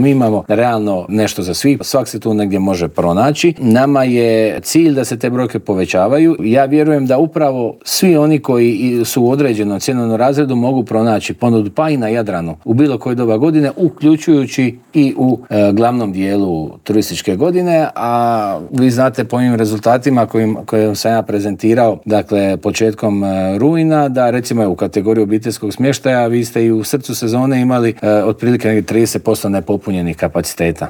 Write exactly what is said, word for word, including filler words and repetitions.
Mi imamo realno nešto za svih, svak se tu negdje može pronaći. Nama je cilj da se te brojke povećavaju. Ja vjerujem da upravo svi oni koji su u određenom cjenovnom razredu mogu pronaći ponudu pa i na Jadranu u bilo koje doba godine, uključujući i u e, glavnom dijelu turističke godine, a vi znate po ovim rezultatima kojim, kojim sam ja prezentirao, dakle početkom e, rujna, da recimo u kategoriji obiteljskog smještaja vi ste i u srcu sezone imali e, otprilike trideset posto nepopunjenih kapaciteta.